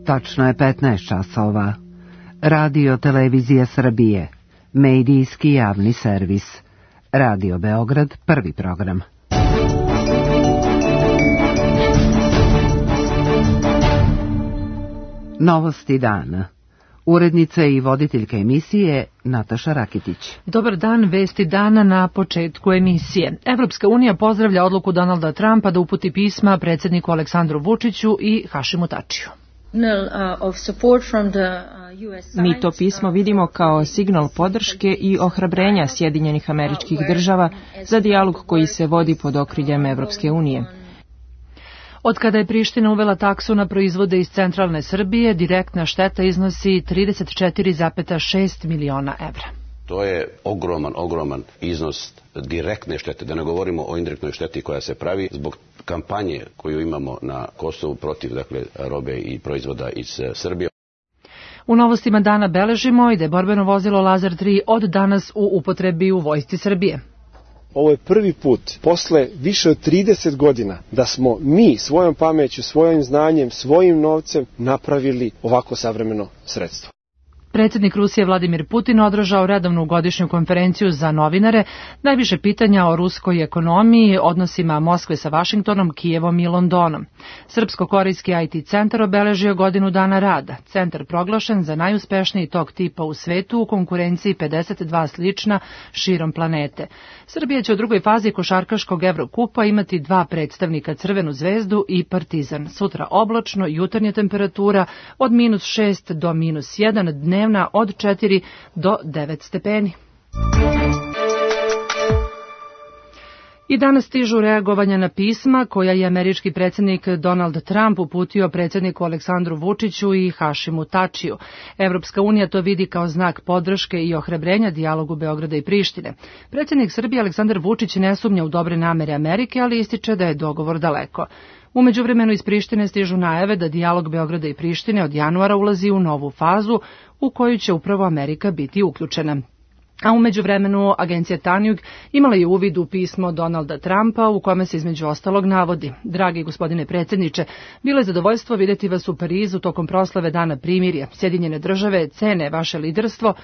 Tačno je 15 časova. Radio Televizija Srbije. Medijski javni servis. Radio Beograd, prvi program. Novosti dana. Urednica i voditeljka emisije Nataša Rakitić. Dobar dan, vesti dana na početku emisije. Evropska unija pozdravlja odluku Donalda Trumpa da uputi pisma predsjedniku Aleksandru Vučiću i Hašimu Tačiju. Mi to pismo vidimo kao signal podrške i ohrabrenja Sjedinjenih Američkih Država za dijalog koji se vodi pod okriljem Evropske unije. Od kada je Priština uvela taksu na proizvode iz centralne Srbije, direktna šteta iznosi 34,6 miliona evra. To je ogroman iznos direktne štete, da ne govorimo o indirektnoj šteti koja se pravi zbog kampanje koju imamo na Kosovu protiv robe i proizvoda iz Srbije. U novostima dana beležimo i da je borbeno vozilo Lazar 3 od danas u upotrebi u vojsci Srbije. Ovo je prvi put, posle više od 30 godina, da smo mi svojom pameću, svojim znanjem, svojim novcem napravili ovako savremeno sredstvo. Predsjednik Rusije Vladimir Putin održao redovnu godišnju konferenciju za novinare, najviše pitanja o ruskoj ekonomiji, odnosima Moskve sa Vašingtonom, Kijevom i Londonom. Srpsko-korejski IT centar obeležio godinu dana rada. Centar proglašen za najuspešniji tog tipa u svetu u konkurenciji 52 slična širom planete. Srbija će u drugoj fazi košarkaškog Evrokupa imati 2 predstavnika, Crvenu zvezdu i Partizan. Sutra oblačno, jutarnja temperatura od -6 do -1, dnevna od 4 do 9 stepeni. I danas stižu reagovanja na pisma koja je američki predsjednik Donald Trump uputio predsjedniku Aleksandru Vučiću i Hašimu Tačiju. Evropska unija to vidi kao znak podrške i ohrabrenja dijalogu Beograda i Prištine. Predsjednik Srbije Aleksandar Vučić ne sumnja u dobre namere Amerike, ali ističe da je dogovor daleko. U međuvremenu iz Prištine stižu najave da dijalog Beograda i Prištine od januara ulazi u novu fazu u koju će upravo Amerika biti uključena. A u međuvremenu agencija Tanjug imala je uvid u pismo Donalda Trumpa u kome se između ostalog navodi: Dragi gospodine predsjedniče, bilo je zadovoljstvo vidjeti vas u Parizu tokom proslave Dana primirja. Sjedinjene države cene vaše liderstvo,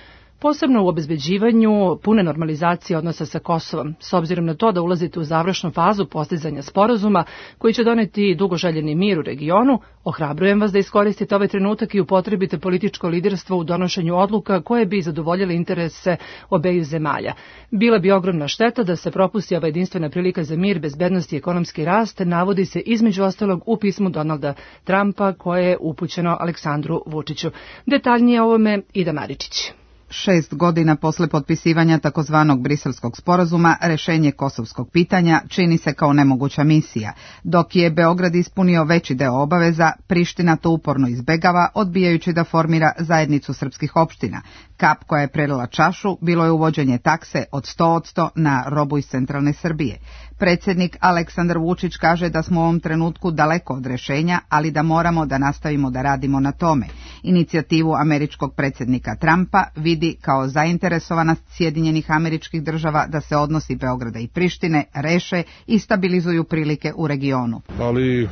posebno u obezbeđivanju pune normalizacije odnosa sa Kosovom. S obzirom na to da ulazite u završnu fazu postizanja sporazuma koji će doneti dugoželjeni mir u regionu, ohrabrujem vas da iskoristite ovaj trenutak i upotrebite političko liderstvo u donošenju odluka koje bi zadovoljile interese obeju zemalja. Bila bi ogromna šteta da se propusti ova jedinstvena prilika za mir, bezbednost i ekonomski rast, navodi se između ostalog u pismu Donalda Trumpa koje je upućeno Aleksandru Vučiću. Detaljnije o ovome Ida Maričić. 6 godina posle potpisivanja takozvanog Briselskog sporazuma, rešenje kosovskog pitanja čini se kao nemoguća misija. Dok je Beograd ispunio veći deo obaveza, Priština to uporno izbegava, odbijajući da formira zajednicu srpskih opština. Kap koja je prelila čašu bilo je uvođenje takse od 100% na robu iz centralne Srbije. Predsjednik Aleksandar Vučić kaže da smo u ovom trenutku daleko od rešenja, ali da moramo da nastavimo da radimo na tome. Inicijativu američkog predsjednika Trumpa vidi kao zainteresovanost Sjedinjenih Američkih Država da se odnosi Beograda i Prištine reše i stabilizuju prilike u regionu. Ali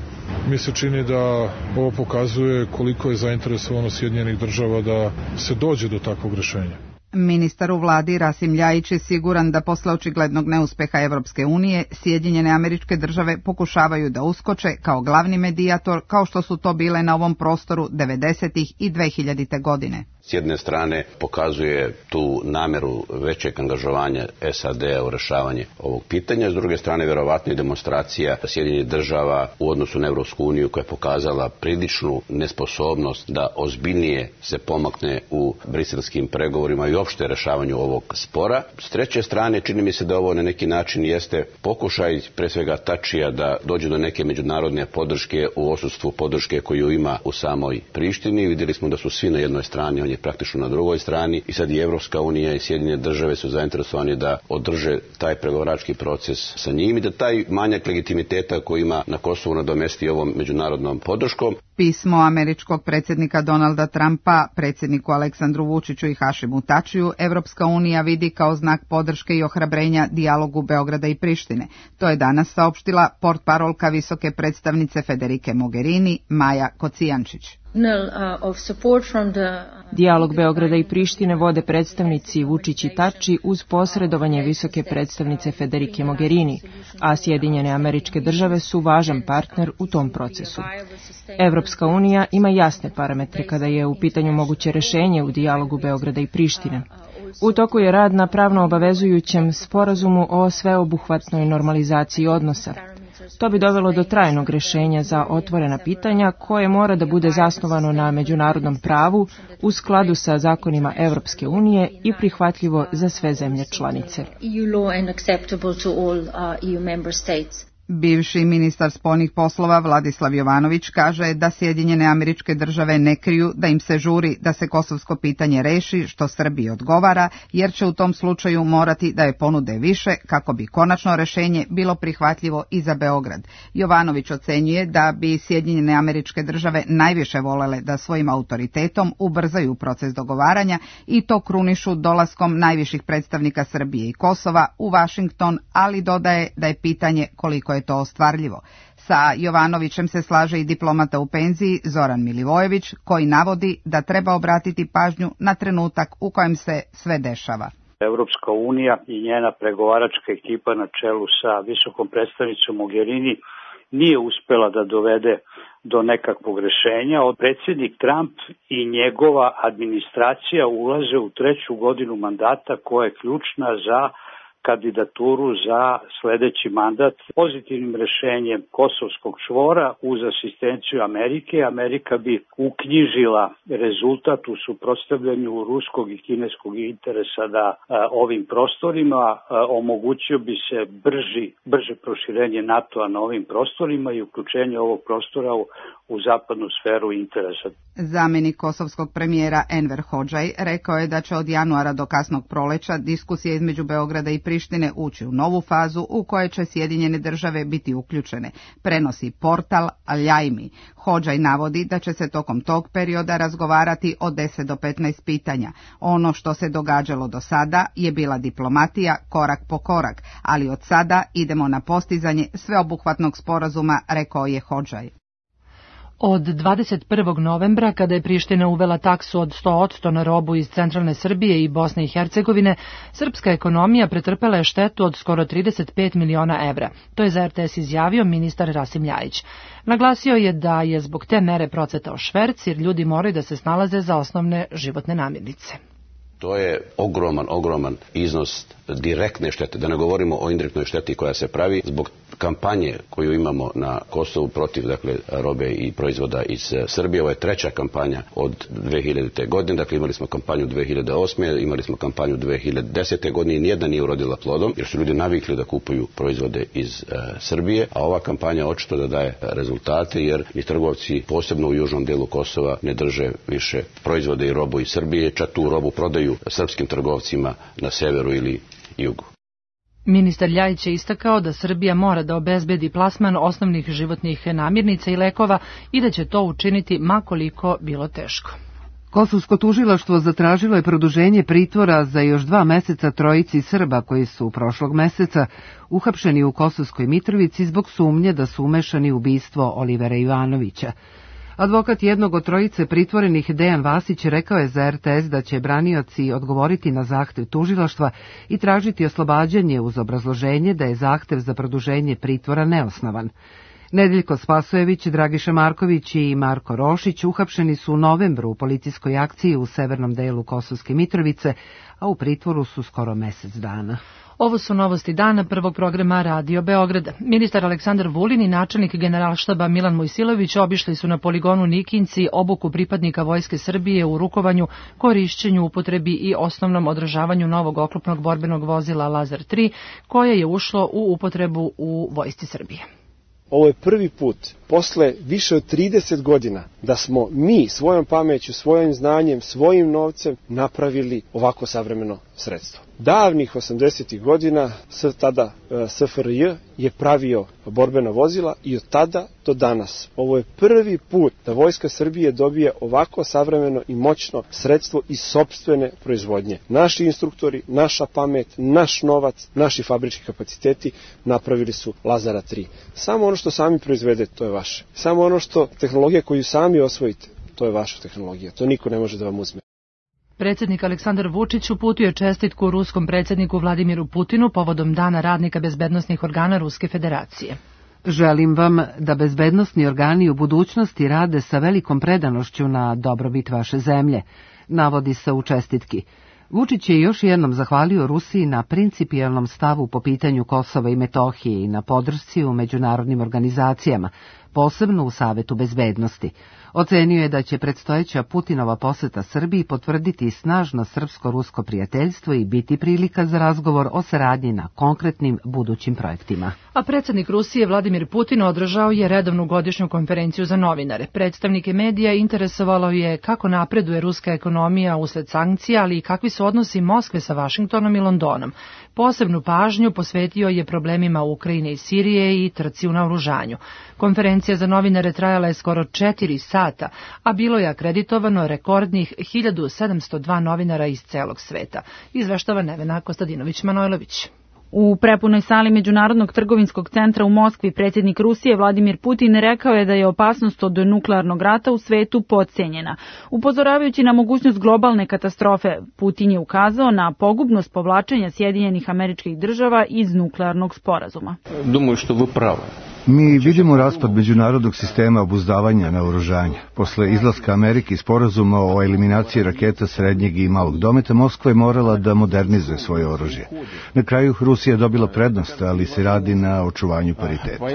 mi se čini da ovo pokazuje koliko je zainteresovano Sjedinjenih Država da se dođe do takvog rešenja. Ministar u vladi Rasim Ljajić je siguran da posle očiglednog neuspeha Evropske unije, Sjedinjene Američke Države pokušavaju da uskoče kao glavni medijator, kao što su to bile na ovom prostoru 90. i 2000. godine. S jedne strane pokazuje tu nameru većeg angažovanja SAD-a u rešavanje ovog pitanja, s druge strane verovatno i demonstracija Sjedinjenih Država u odnosu na Evropsku uniju koja je pokazala priličnu nesposobnost da ozbiljnije se pomakne u briselskim pregovorima i uopšte rešavanju ovog spora. S treće strane čini mi se da ovo na neki način jeste pokušaj pre svega Tačija da dođe do neke međunarodne podrške u odsustvu podrške koju ima u samoj Prištini. Vidjeli smo da su svi na jednoj strani, on je praktično na drugoj strani i sad i Evropska unija i Sjedinjene Države su zainteresovani da održe taj pregovarački proces sa njim i da taj manjak legitimiteta koji ima na Kosovu nadomesti ovom međunarodnom podrškom. Pismo američkog predsjednika Donalda Trumpa predsjedniku Aleksandru Vučiću i Hašimu Tačiju Evropska unija vidi kao znak podrške i ohrabrenja dijalogu Beograda i Prištine. To je danas saopštila portparolka visoke predstavnice Federike Mogherini Maja Kocijančić. Dijalog Beograda i Prištine vode predstavnici Vučić i Tači uz posredovanje visoke predstavnice Federike Mogherini, a Sjedinjene Američke Države su važan partner u tom procesu. Evropska unija ima jasne parametre kada je u pitanju moguće rešenje u dijalogu Beograda i Prištine. U toku je rad na pravno obavezujućem sporazumu o sveobuhvatnoj normalizaciji odnosa. To bi dovelo do trajnog rešenja za otvorena pitanja koje mora da bude zasnovano na međunarodnom pravu u skladu sa zakonima Evropske unije i prihvatljivo za sve zemlje članice. Bivši ministar spoljnih poslova Vladislav Jovanović kaže da Sjedinjene Američke Države ne kriju da im se žuri da se kosovsko pitanje reši, što Srbiji odgovara, jer će u tom slučaju morati da je ponude više kako bi konačno rešenje bilo prihvatljivo i za Beograd. Jovanović ocenjuje da bi Sjedinjene Američke Države najviše volele da svojim autoritetom ubrzaju proces dogovaranja i to krunišu dolaskom najviših predstavnika Srbije i Kosova u Vašington, ali dodaje da je pitanje koliko je to ostvarljivo. Sa Jovanovićem se slaže i diplomata u penziji Zoran Milivojević, koji navodi da treba obratiti pažnju na trenutak u kojem se sve dešava. Evropska unija i njena pregovaračka ekipa na čelu sa visokom predstavnicom Mogherini nije uspela da dovede do nekakvog rešenja. Predsjednik Trump i njegova administracija ulaze u 3. godinu mandata koja je ključna za kandidaturu za sledeći mandat. Pozitivnim rešenjem kosovskog čvora uz asistenciju Amerike, Amerika bi uknjižila rezultat u suprotstavljanju ruskog i kineskog interesa da ovim prostorima omogućio bi se brže proširenje NATO-a na ovim prostorima i uključenje ovog prostora u zapadnu sferu interesa. Zamjenik kosovskog premijera Enver Hodžaj rekao je da će od januara do kasnog proleća diskusije između Beograda i Prištine ući u novu fazu u kojoj će Sjedinjene Države biti uključene, prenosi portal Aljajmi. Hodžaj navodi da će se tokom tog perioda razgovarati o 10 do 15 pitanja. Ono što se događalo do sada je bila diplomatija korak po korak, ali od sada idemo na postizanje sveobuhvatnog sporazuma, rekao je Hodžaj. Od 21. novembra, kada je Priština uvela taksu od 100% na robu iz centralne Srbije i Bosne i Hercegovine, srpska ekonomija pretrpela je štetu od skoro 35 miliona evra. To je za RTS izjavio ministar Rasim Ljajić. Naglasio je da je zbog te mere procvetao šverc, jer ljudi moraju da se snalaze za osnovne životne namirnice. To je ogroman iznos direktne štete, da ne govorimo o indirektnoj šteti koja se pravi zbog kampanje koju imamo na Kosovu protiv robe i proizvoda iz Srbije. Ovo je 3. kampanja od 2000. godine, dakle imali smo kampanju 2008. imali smo kampanju 2010. godine i nijedna nije urodila plodom, jer su ljudi navikli da kupuju proizvode iz Srbije, a ova kampanja očito da daje rezultate, jer i trgovci, posebno u južnom delu Kosova, ne drže više proizvode i robu iz Srbije, čak tu robu prodaju srpskim trgovcima na severu ili jugu. Ministar Ljajić je istakao da Srbija mora da obezbedi plasman osnovnih životnih namirnica i lekova i da će to učiniti ma koliko bilo teško. Kosovsko tužilaštvo zatražilo je produženje pritvora za još 2 meseca trojici Srba koji su prošlog meseca uhapšeni u Kosovskoj Mitrovici zbog sumnje da su umešani u ubistvo Olivera Ivanovića. Advokat jednog od trojice pritvorenih, Dejan Vasić, rekao je za RTS da će branioci odgovoriti na zahtev tužilaštva i tražiti oslobađanje uz obrazloženje da je zahtev za produženje pritvora neosnovan. Nedeljko Spasojević, Dragiša Marković i Marko Rošić uhapšeni su u novembru u policijskoj akciji u severnom delu Kosovske Mitrovice, a u pritvoru su skoro mesec dana. Ovo su novosti dana prvog programa Radio Beograd. Ministar Aleksandar Vulin i načelnik Generalštaba Milan Mojsilović obišli su na poligonu Nikinci obuku pripadnika Vojske Srbije u rukovanju, korišćenju, upotrebi i osnovnom održavanju novog oklopnog borbenog vozila Lazar 3, koje je ušlo u upotrebu u Vojsci Srbije. Ovo je prvi put posle više od 30 godina da smo mi svojom pameću, svojim znanjem, svojim novcem napravili ovako savremeno sredstvo. Davnih 80. godina tada SFRJ je pravio borbena vozila i od tada do danas. Ovo je prvi put da Vojska Srbije dobije ovako savremeno i moćno sredstvo iz sopstvene proizvodnje. Naši instruktori, naša pamet, naš novac, naši fabrički kapaciteti napravili su Lazara 3. Samo ono što sami proizvedete, to je vaše. Samo ono što tehnologija koju sami osvojite, to je vaša tehnologija, to niko ne može da vam uzme. Predsjednik Aleksandar Vučić uputio je čestitku ruskom predsjedniku Vladimiru Putinu povodom Dana radnika bezbednosnih organa Ruske federacije. Želim vam da bezbednosni organi u budućnosti rade sa velikom predanošću na dobrobit vaše zemlje, navodi se u čestitki. Vučić je još jednom zahvalio Rusiji na principijelnom stavu po pitanju Kosova i Metohije i na podršci u međunarodnim organizacijama, posebno u Savetu bezbednosti. Ocenio je da će predstojeća Putinova poseta Srbiji potvrditi snažno srpsko-rusko prijateljstvo i biti prilika za razgovor o saradnji na konkretnim budućim projektima. A predsjednik Rusije Vladimir Putin održao je redovnu godišnju konferenciju za novinare. Predstavnike medija interesovalo je kako napreduje ruska ekonomija usled sankcija, ali i kakvi su odnosi Moskve sa Vašingtonom i Londonom. Posebnu pažnju posvetio je problemima Ukrajine i Sirije i trci u naoružanju. Konferencija za novinare trajala je skoro 4 sata, a bilo je akreditovano rekordnih 1702 novinara iz celog sveta. Izveštava Nevena Kostadinović-Manojlović. U prepunoj sali Međunarodnog trgovinskog centra u Moskvi predsjednik Rusije Vladimir Putin rekao je da je opasnost od nuklearnog rata u svetu podcijenjena. Upozoravajući na mogućnost globalne katastrofe, Putin je ukazao na pogubnost povlačenja Sjedinjenih Američkih Država iz nuklearnog sporazuma. Думаю, što vi pravo. Mi vidimo raspad međunarodnog sistema obuzdavanja naoružanja. Posle izlaska Amerike iz sporazuma o eliminaciji raketa srednjeg i malog dometa, Moskva je morala da modernizuje svoje oružje. Na kraju Rusija je dobila prednost, ali se radi na očuvanju pariteta.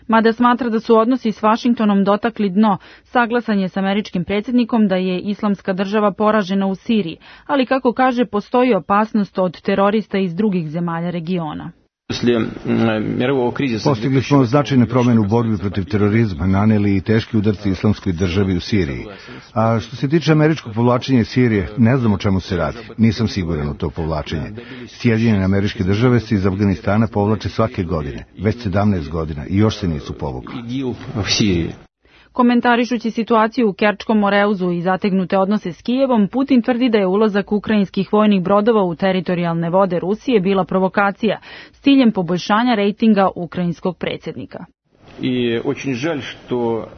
Mada smatra da su odnosi s Vašingtonom dotakli dno, saglasan je s američkim predsjednikom da je Islamska država poražena u Siriji, ali kako kaže postoji opasnost od terorista iz drugih zemalja regiona. Postigli smo značajne promjene u borbi protiv terorizma, naneli i teški udarci Islamskoj državi u Siriji. A što se tiče američkog povlačenja iz Sirije, ne znam o čemu se radi. Nisam siguran u to povlačenje. Sjedinjene Američke Države se iz Afganistana povlače svake godine, već 17 godina i još se nisu povukli. Komentarišući situaciju u Kerčkom Moreuzu i zategnute odnose s Kijevom, Putin tvrdi da je ulazak ukrajinskih vojnih brodova u teritorijalne vode Rusije bila provokacija s ciljem poboljšanja rejtinga ukrajinskog predsjednika.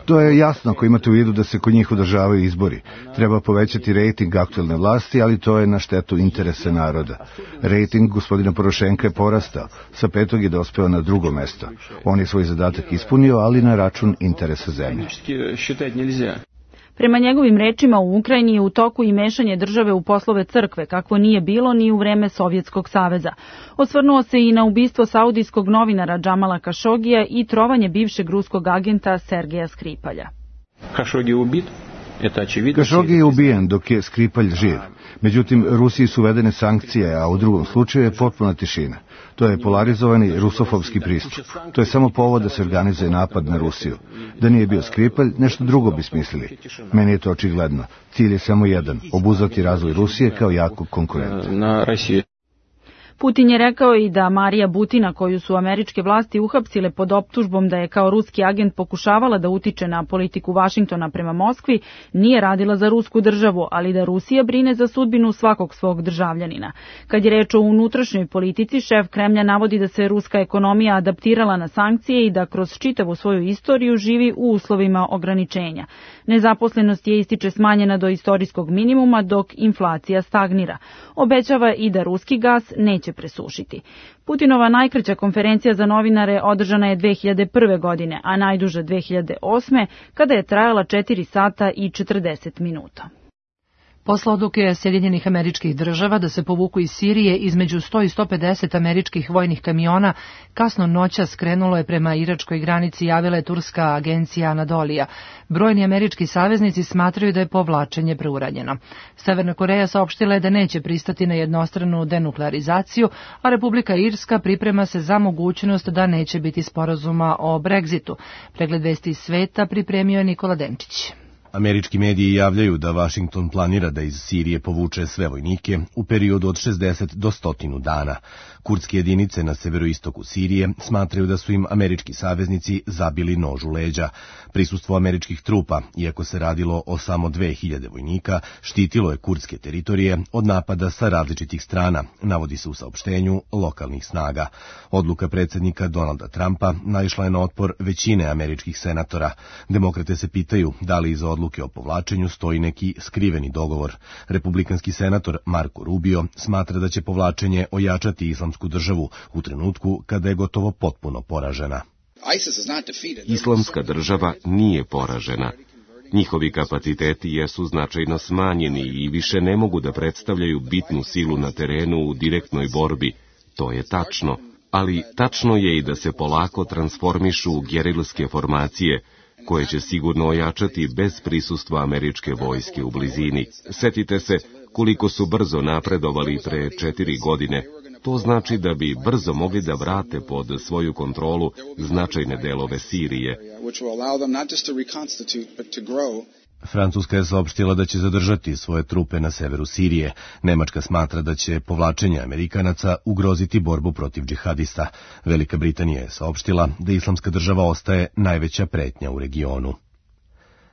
To je jasno ako imate u vidu da se kod njih održavaju izbori. Treba povećati rejting aktuelne vlasti, ali to je na štetu interesa naroda. Rejting gospodina Porošenka je porastao, sa 5. je dospeo na 2. mesto. On je svoj zadatak ispunio, ali na račun interesa zemlje. Prema njegovim rečima, u Ukrajini je u toku i mešanje države u poslove crkve, kakvo nije bilo ni u vreme Sovjetskog saveza. Osvrnuo se i na ubistvo saudijskog novinara Džamala Kašogija i trovanje bivšeg ruskog agenta Sergeja Skripalja. Kašogi je ubijen dok je Skripalj živ. Međutim, Rusiji su uvedene sankcije, a u drugom slučaju je potpuna tišina. To je polarizovani rusofobski pristup. To je samo povod da se organizuje napad na Rusiju. Da nije bio Skripalj, nešto drugo bi smislili. Meni je to očigledno. Cilj je samo jedan, obuzdati razvoj Rusije kao jakog konkurenta. Putin je rekao i da Marija Butina, koju su američke vlasti uhapsile pod optužbom da je kao ruski agent pokušavala da utiče na politiku Vašingtona prema Moskvi, nije radila za rusku državu, ali da Rusija brine za sudbinu svakog svog državljanina. Kad je reč o unutrašnjoj politici, šef Kremlja navodi da se ruska ekonomija adaptirala na sankcije i da kroz čitavu svoju istoriju živi u uslovima ograničenja. Nezaposlenost je, ističe, smanjena do istorijskog minimuma, dok inflacija stagnira. Obećava i da ruski gas neće presušiti. Putinova najkraća konferencija za novinare održana je 2001. godine, a najduža 2008. kada je trajala 4 sata i 40 minuta. Posle odluke Sjedinjenih Američkih Država da se povuku iz Sirije, između 100 i 150 američkih vojnih kamiona kasno noćas krenulo je prema iračkoj granici, javila je turska agencija Anadolija. Brojni američki saveznici smatraju da je povlačenje preuranjeno. Severna Koreja saopštila je da neće pristati na jednostranu denuklearizaciju, a Republika Irska priprema se za mogućnost da neće biti sporazuma o Brexitu. Pregled vesti iz sveta pripremio je Nikola Denčić. Američki mediji javljaju da Vašington planira da iz Sirije povuče sve vojnike u periodu od 60 do 100 dana. Kurdske jedinice na severoistoku Sirije smatraju da su im američki saveznici zabili nož u leđa. Prisustvo američkih trupa, iako se radilo o samo 2000 vojnika, štitilo je kurdske teritorije od napada sa različitih strana, navodi se u saopštenju lokalnih snaga. Odluka predsjednika Donalda Trumpa naišla je na otpor većine američkih senatora. Demokrate se pitaju da li iza odluke o povlačenju stoji neki skriveni dogovor. Republikanski senator Marco Rubio smatra da će povlačenje ojačati Islamsku državu u trenutku kada je gotovo potpuno poražena. Islamska država nije poražena. Njihovi kapaciteti jesu značajno smanjeni i više ne mogu da predstavljaju bitnu silu na terenu u direktnoj borbi. To je tačno, ali tačno je i da se polako transformišu u gerilske formacije, koje će sigurno ojačati bez prisustva američke vojske u blizini. Setite se koliko su brzo napredovali pre 4 godine. To znači da bi brzo mogli da vrate pod svoju kontrolu značajne delove Sirije. Francuska je saopštila da će zadržati svoje trupe na severu Sirije. Nemačka smatra da će povlačenje Amerikanaca ugroziti borbu protiv džihadista. Velika Britanija je saopštila da Islamska država ostaje najveća pretnja u regionu.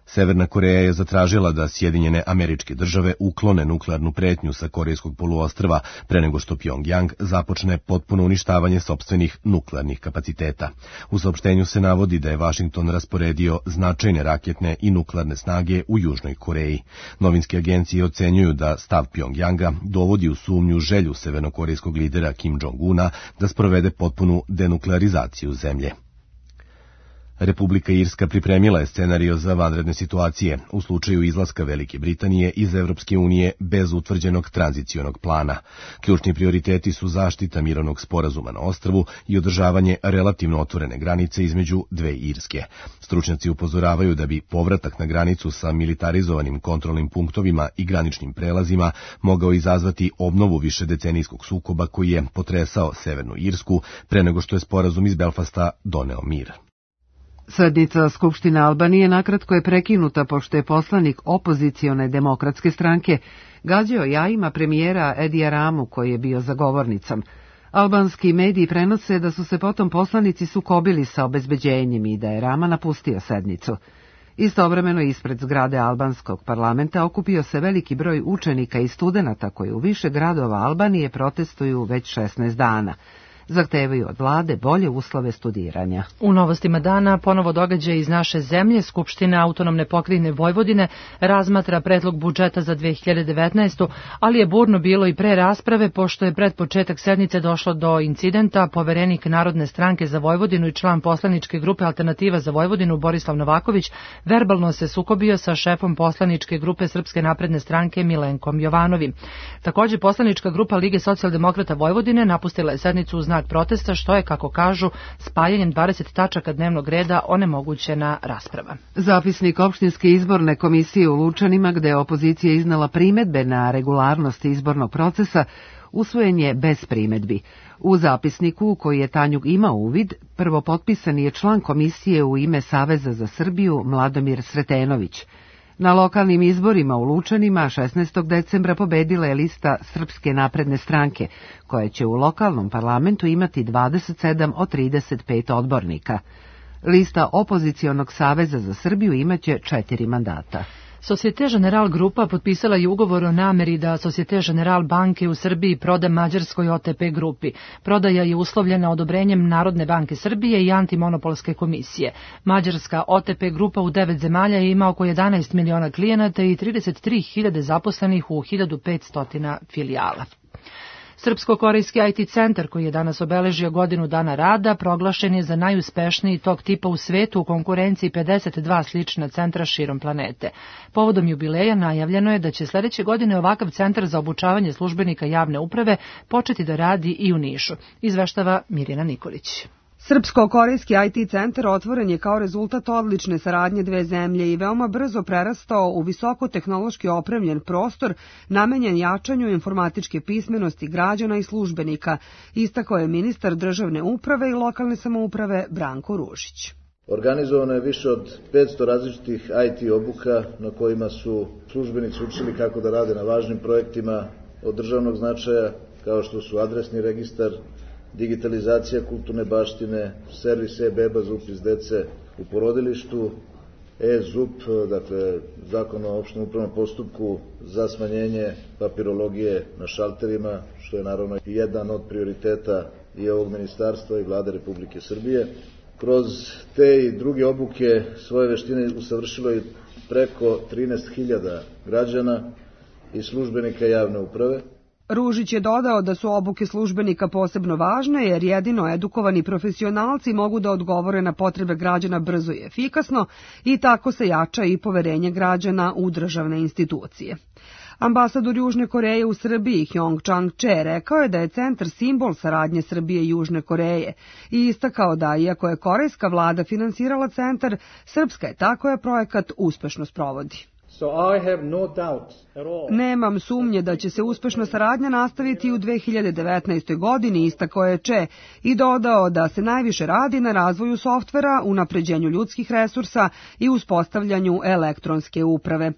Severna Koreja je zatražila da Sjedinjene Američke Države uklone nuklearnu pretnju sa Korejskog poluostrva pre nego što Pjongjang započne potpuno uništavanje sopstvenih nuklearnih kapaciteta. U saopštenju se navodi da je Vašington rasporedio značajne raketne i nuklearne snage u Južnoj Koreji. Novinske agencije ocenjuju da stav Pjongjanga dovodi u sumnju želju severnokorejskog lidera Kim Jong-una da sprovede potpunu denuklearizaciju zemlje. Republika Irska pripremila je scenario za vanredne situacije u slučaju izlaska Velike Britanije iz Evropske unije bez utvrđenog tranzicionog plana. Ključni prioriteti su zaštita mirovnog sporazuma na ostrvu i održavanje relativno otvorene granice između dve Irske. Stručnjaci upozoravaju da bi povratak na granicu sa militarizovanim kontrolnim punktovima i graničnim prelazima mogao izazvati obnovu višedecenijskog sukoba koji je potresao Severnu Irsku pre nego što je sporazum iz Belfasta doneo mir. Sednica Skupštine Albanije nakratko je prekinuta pošto je poslanik opozicione demokratske stranke gađao jajima premijera Edija Ramu koji je bio za govornicom. Albanski mediji prenose da su se potom poslanici sukobili sa obezbeđenjem i da je Rama napustio sednicu. Istovremeno ispred zgrade albanskog parlamenta okupio se veliki broj učenika i studenata koji u više gradova Albanije protestuju već 16 dana. Zahtevaju od vlade bolje uslove studiranja. U novostima dana ponovo događaj iz naše zemlje. Skupština autonomne pokrajine Vojvodine razmatra predlog budžeta za 2019. ali je burno bilo i pre rasprave pošto je pred početak sednice došlo do incidenta. Poverenik Narodne stranke za Vojvodinu i član poslaničke grupe Alternativa za Vojvodinu Borislav Novaković verbalno se sukobio sa šefom poslaničke grupe Srpske napredne stranke Milenkom Jovanovim. Također poslanička grupa Lige socijaldemokrata Vojvodine napustila je sednicu u znak protesta, što je, kako kažu, spajanjem 20 tačaka dnevnog reda onemogućena rasprava. Zapisnik opštinske izborne komisije u Lučanima, gde je opozicija iznala primedbe na regularnost izbornog procesa, usvojen je bez primedbi. U zapisniku, u koji je Tanjug imao uvid, prvopotpisani je član komisije u ime Saveza za Srbiju Mladomir Sretenović. Na lokalnim izborima u Lučanima 16. decembra pobedila je lista Srpske napredne stranke, koja će u lokalnom parlamentu imati 27 od 35 odbornika. Lista opozicionog Saveza za Srbiju imaće 4 mandata. Societe General Grupa potpisala je ugovor o nameri da Societe General banke u Srbiji proda mađarskoj OTP grupi. Prodaja je uslovljena odobrenjem Narodne banke Srbije i Antimonopolske komisije. Mađarska OTP grupa u 9 zemalja ima oko 11 miliona klijenata i 33.000 zaposlenih u 1500 filijala. Srpsko-korejski IT centar, koji je danas obeležio godinu dana rada, proglašen je za najuspešniji tog tipa u svetu u konkurenciji 52 slična centra širom planete. Povodom jubileja najavljeno je da će sledeće godine ovakav centar za obučavanje službenika javne uprave početi da radi i u Nišu, izveštava Mirjana Nikolić. Srpsko-korejski IT centar otvoren je kao rezultat odlične saradnje dve zemlje i veoma brzo prerastao u visoko tehnološki opremljen prostor namenjen jačanju informatičke pismenosti građana i službenika, istakao je ministar državne uprave i lokalne samouprave Branko Ružić. Organizovano je više od 500 različitih IT obuka na kojima su službenici učili kako da rade na važnim projektima od državnog značaja, kao što su adresni registar, digitalizacija kulturne baštine, servis e-beba za upis dece u porodilištu, e-ZUP, dakle Zakon o opštem upravnom postupku za smanjenje papirologije na šalterima, što je naravno i jedan od prioriteta i ovog ministarstva i Vlade Republike Srbije. Kroz te i druge obuke svoje veštine usavršilo je preko 13.000 građana i službenika javne uprave. Ružić je dodao da su obuke službenika posebno važne jer jedino edukovani profesionalci mogu da odgovore na potrebe građana brzo i efikasno i tako se jača i poverenje građana u državne institucije. Ambasador Južne Koreje u Srbiji Hyong Chang-che rekao je da je centar simbol saradnje Srbije i Južne Koreje i istakao da, iako je korejska vlada finansirala centar, srpska je ta koja projekat uspešno sprovodi. Nemam sumnje da će se uspešna saradnja nastaviti u 2019. godini, istakao je Che i dodao da se najviše radi na razvoju softvera, unapređenju ljudskih resursa i uspostavljanju elektronske uprave.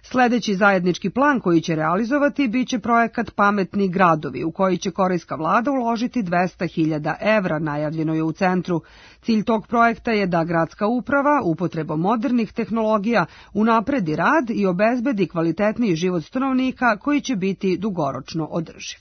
Sledeći zajednički plan koji će realizovati biće projekat Pametni gradovi, u koji će korejska vlada uložiti 200.000 evra, najavljeno je u centru. Cilj tog projekta je da gradska uprava upotrebom modernih tehnologija unapredi rad i obezbedi kvalitetniji život stanovnika koji će biti dugoročno održiv.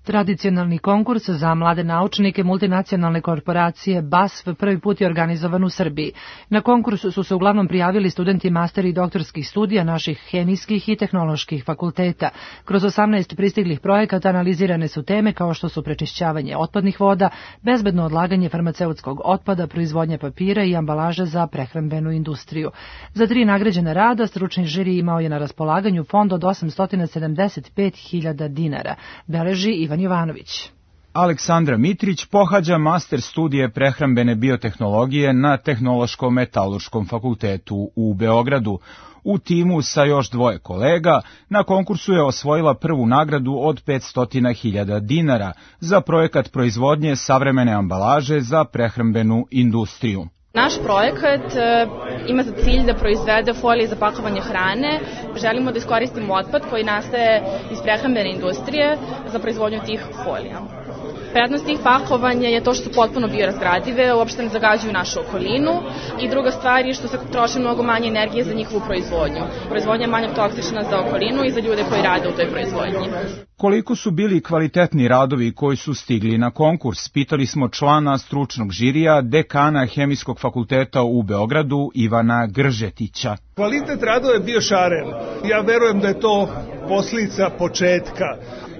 Tradicionalni konkurs za mlade naučnike multinacionalne korporacije BASF prvi put je organizovan u Srbiji. Na konkursu su se uglavnom prijavili studenti master i doktorskih studija naših hemijskih i tehnoloških fakulteta. Kroz 18 pristiglih projekata analizirane su teme kao što su prečišćavanje otpadnih voda, bezbedno odlaganje farmaceutskog otpada, proizvodnja papira i ambalaže za prehrambenu industriju. Za 3 nagrađena rada stručni žiri imao je na raspolaganju fond od 875.000 dinara, beleži Ivan Jovanović. Aleksandra Mitrić pohađa master studije prehrambene biotehnologije na Tehnološko-metalurškom fakultetu u Beogradu. U timu sa još 2 kolega na konkursu je osvojila prvu nagradu od 500.000 dinara za projekat proizvodnje savremene ambalaže za prehrambenu industriju. Naš projekat ima za cilj da proizvede folije za pakovanje hrane. Želimo da iskoristimo otpad koji nastaje iz prehrambene industrije za proizvodnju tih folija. Prednost tih pakovanja je to što su potpuno biorazgradive, uopšte ne zagađuju našu okolinu i druga stvar je što se troši mnogo manje energije za njihovu proizvodnju. Proizvodnja je manje toksična za okolinu i za ljude koji rade u toj proizvodnji. Koliko su bili kvalitetni radovi koji su stigli na konkurs, pitali smo člana stručnog žirija, dekana Hemijskog fakulteta u Beogradu Ivana Gržetića. Kvalitet radova je bio šaren. Ja verujem da je to posljedica početka.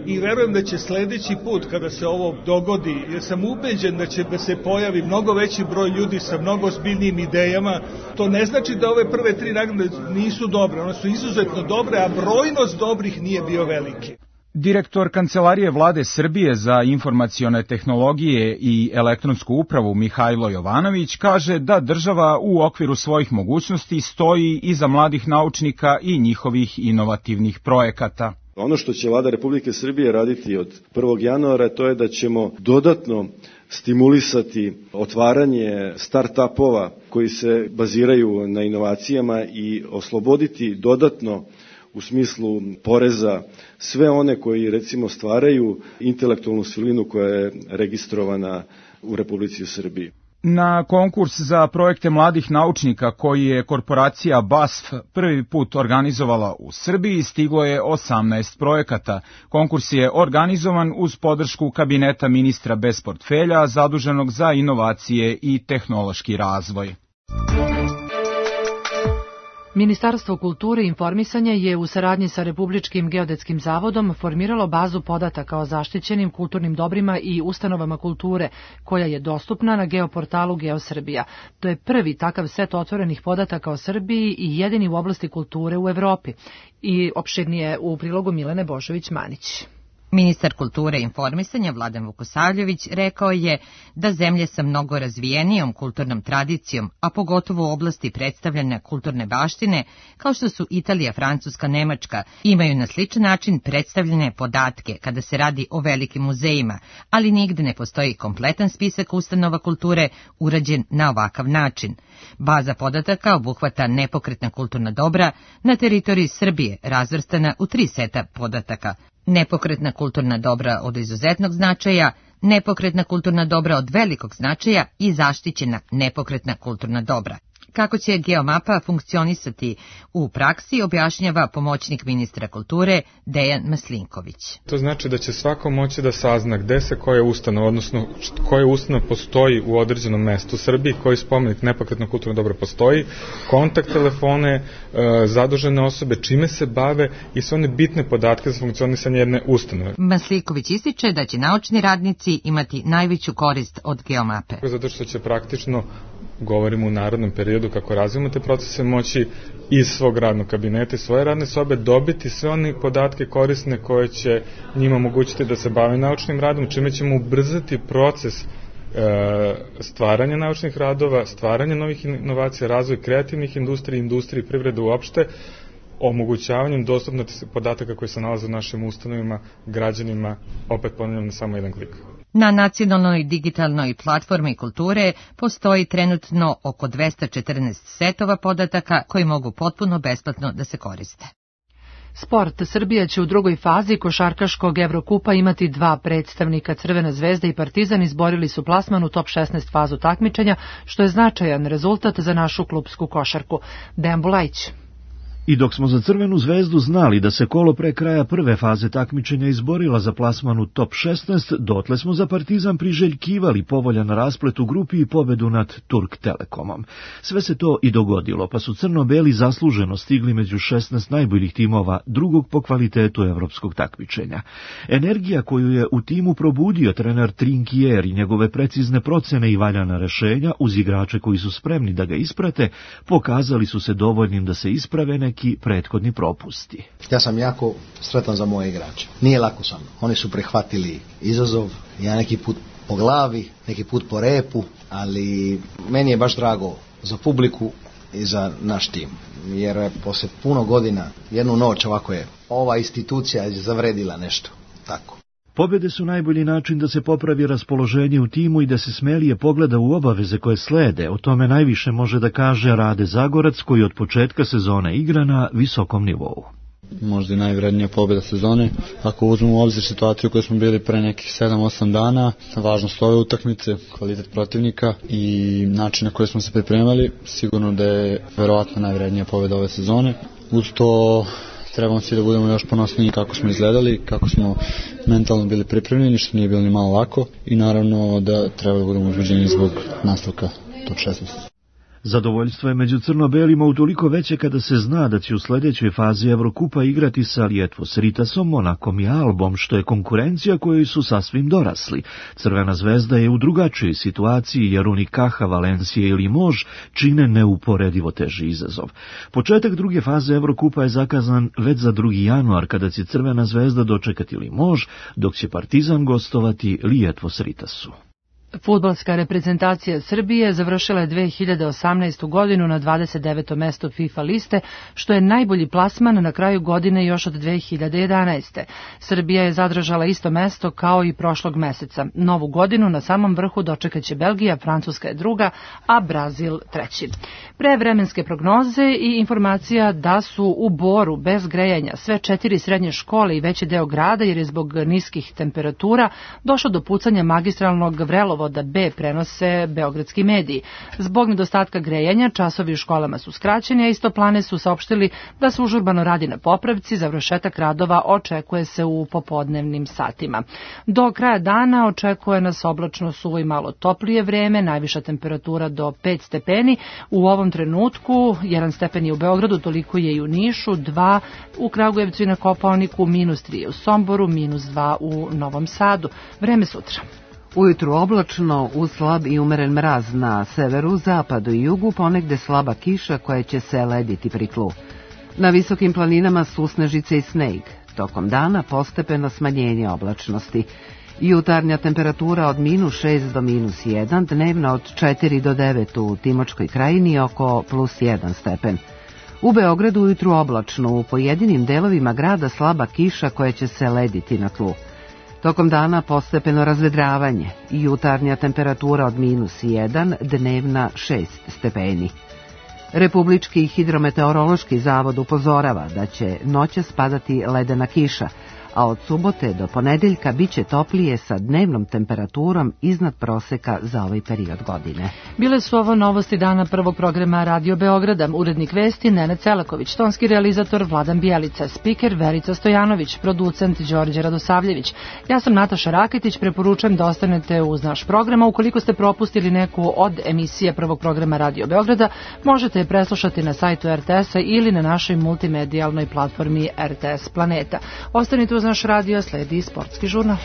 I verujem da će sledeći put kada se ovo dogodi, jer sam ubeđen da će se pojavi mnogo veći broj ljudi sa mnogo ozbiljnijim idejama. To ne znači da ove prve 3 nagrade nisu dobre, one su izuzetno dobre, a brojnost dobrih nije bio veliki. Direktor Kancelarije Vlade Srbije za informacione tehnologije i elektronsku upravu Mihajlo Jovanović kaže da država u okviru svojih mogućnosti stoji iza mladih naučnika i njihovih inovativnih projekata. Ono što će Vlada Republike Srbije raditi od 1. januara to je da ćemo dodatno stimulisati otvaranje start-upova koji se baziraju na inovacijama i osloboditi dodatno u smislu poreza sve one koji recimo stvaraju intelektualnu svojinu koja je registrovana u Republici Srbiji. Na konkurs za projekte mladih naučnika koji je korporacija BASF prvi put organizovala u Srbiji stiglo je 18 projekata. Konkurs je organizovan uz podršku kabineta ministra bez portfelja zaduženog za inovacije i tehnološki razvoj. Ministarstvo kulture i informisanja je u saradnji sa Republičkim geodetskim zavodom formiralo bazu podataka o zaštićenim kulturnim dobrima i ustanovama kulture, koja je dostupna na geoportalu GeoSrbija. To je prvi takav set otvorenih podataka o Srbiji i jedini u oblasti kulture u Evropi. I opširnije u prilogu Milene Božović-Manić. Ministar kulture i informisanja Vladan Vukosavljević rekao je da zemlje sa mnogo razvijenijom kulturnom tradicijom, a pogotovo u oblasti predstavljanja kulturne baštine, kao što su Italija, Francuska, Nemačka, imaju na sličan način predstavljene podatke kada se radi o velikim muzejima, ali nigde ne postoji kompletan spisak ustanova kulture urađen na ovakav način. Baza podataka obuhvata nepokretna kulturna dobra na teritoriji Srbije, razvrstana u 3 seta podataka: nepokretna kulturna dobra od izuzetnog značaja, nepokretna kulturna dobra od velikog značaja i zaštićena nepokretna kulturna dobra. Kako će geomapa funkcionisati u praksi, objašnjava pomoćnik ministra kulture Dejan Maslinković. To znači da će svako moći da sazna gde se koja ustanova, odnosno koja ustanova postoji u određenom mestu u Srbiji, koji spomenik nepokretno kulturno dobro postoji, kontakt telefone, zadužene osobe, čime se bave i sve one bitne podatke za funkcionisanje jedne ustanove. Maslinković ističe da će naučni radnici imati najveću korist od geomape. Zato što će praktično, govorimo u narodnom periodu kako razvijamo te procese, moći iz svog radnog kabineta i svoje radne sobe dobiti sve one podatke korisne koje će njima omogućiti da se bave naučnim radom, čime ćemo ubrzati proces stvaranja naučnih radova, stvaranja novih inovacija, razvoj kreativnih industrija, industrije i privrede uopšte, omogućavanjem dostupnosti podataka koji se nalaze u našim ustanovima građanima, opet ponavljam, na samo jedan klik. Na nacionalnoj digitalnoj platformi kulture postoji trenutno oko 214 setova podataka koji mogu potpuno besplatno da se koriste. Sport. Srbija će u drugoj fazi košarkaškog Evrokupa imati 2 predstavnika. Crvena zvezda i Partizan izborili su plasman u top 16 fazu takmičenja, što je značajan rezultat za našu klupsku košarku. Dejan Bulajić. I dok smo za Crvenu zvezdu znali da se kolo pre kraja prve faze takmičenja izborila za plasman u top 16, dotle smo za Partizan priželjkivali povoljan rasplet u grupi i pobedu nad Turk Telekomom. Sve se to i dogodilo, pa su crno-beli zasluženo stigli među 16 najboljih timova drugog po kvalitetu evropskog takmičenja. Energija koju je u timu probudio trener Trinkier i njegove precizne procene i valjana rešenja uz igrače koji su spremni da ga isprate, pokazali su se dovoljnim da se isprave neki prethodni propusti. Ja sam jako sretan za moje igrače. Nije lako sa mnom. Oni su prihvatili izazov, ja neki put po glavi, neki put po repu, ali meni je baš drago za publiku i za naš tim. Jer posle puno godina, jednu noć ovako je, ova institucija je zavredila nešto. Tako. Pobjede su najbolji način da se popravi raspoloženje u timu i da se smelije pogleda u obaveze koje slede. O tome najviše može da kaže Rade Zagorac, koji od početka sezone igra na visokom nivou. Možda i najvrednija pobjeda sezone. Ako uzmemo u obzir situaciju koju smo bili pre nekih 7-8 dana, važnost ove utakmice, kvalitet protivnika i način na koji smo se pripremali, sigurno da je verovatno najvrednija pobjeda ove sezone. Uz to trebamo svi da budemo još ponosniji kako smo izgledali, kako smo mentalno bili pripremljeni, što nije bilo ni malo lako, i naravno da treba da budemo uzbuđeni zbog nastavka top 16. Zadovoljstvo je među crno-belima utoliko veće kada se zna da će u sledećoj fazi Evrokupa igrati sa Lietuvos Rytasom, Monakom i Albom, što je konkurencija kojoj su sasvim dorasli. Crvena zvezda je u drugačijoj situaciji jer Unicaja, Valencija i Limoges čine neuporedivo teži izazov. Početak druge faze Evrokupa je zakazan već za 2. januar, kada će Crvena zvezda dočekati Limoges, dok će Partizan gostovati Lietuvos Rytasu. Fudbalska reprezentacija Srbije završila je 2018. godinu na 29. mesto FIFA liste, što je najbolji plasman na kraju godine još od 2011. Srbija je zadržala isto mesto kao i prošlog meseca. Novu godinu na samom vrhu dočekaće Belgija, Francuska je druga, a Brazil treći. Pre vremenske prognoze i informacija da su u Boru bez grejanja sve 4 srednje škole i veći deo grada, jer je zbog niskih temperatura došlo do pucanja magistralnog vrelovoda B, prenose beogradski mediji. Zbog nedostatka grejanja časovi u školama su skraćeni, a Istoplane su saopštili da se užurbano radi na popravci, završetak radova očekuje se u popodnevnim satima. Do kraja dana očekuje nas oblačno, suvo i malo toplije vreme, najviša temperatura do 5 stepeni. U ovom trenutku 1 stepen je u Beogradu, toliko je i u Nišu, 2 u Kragujevcu i na Kopaoniku, -3 u Somboru, -2 u Novom Sadu. Vreme sutra. Ujutru oblačno, uz slab i umeren mraz na severu, zapadu i jugu, ponegde slaba kiša koja će se lediti pri tlu. Na visokim planinama susnežice i sneg. Tokom dana postepeno smanjenje oblačnosti. Jutarnja temperatura od -6 do -1, dnevna od 4 do 9 u Timočkoj krajini oko +1 stepen. U Beogradu ujutru oblačno, u pojedinim delovima grada slaba kiša koja će se lediti na tlu. Tokom dana postepeno razvedravanje, jutarnja temperatura od -1, dnevna 6 stepeni. Republički hidrometeorološki zavod upozorava da će noćas padati ledena kiša, a od subote do ponedeljka biće toplije sa dnevnom temperaturom iznad proseka za ovaj period godine. Bile su ovo novosti dana prvog programa Radio Beograda. Urednik vesti Nenad Celaković, tonski realizator Vladan Bijelica, spiker Verica Stojanović, producent Đorđe Radosavljević. Ja sam Nataša Raketić, preporučujem da ostanete uz naš program, a ukoliko ste propustili neku od emisije prvog programa Radio Beograda, možete je preslušati na sajtu RTS-a ili na našoj multimedijalnoj platformi RTS Planeta. Ostanite uz naš radio, sledi sportski žurnal.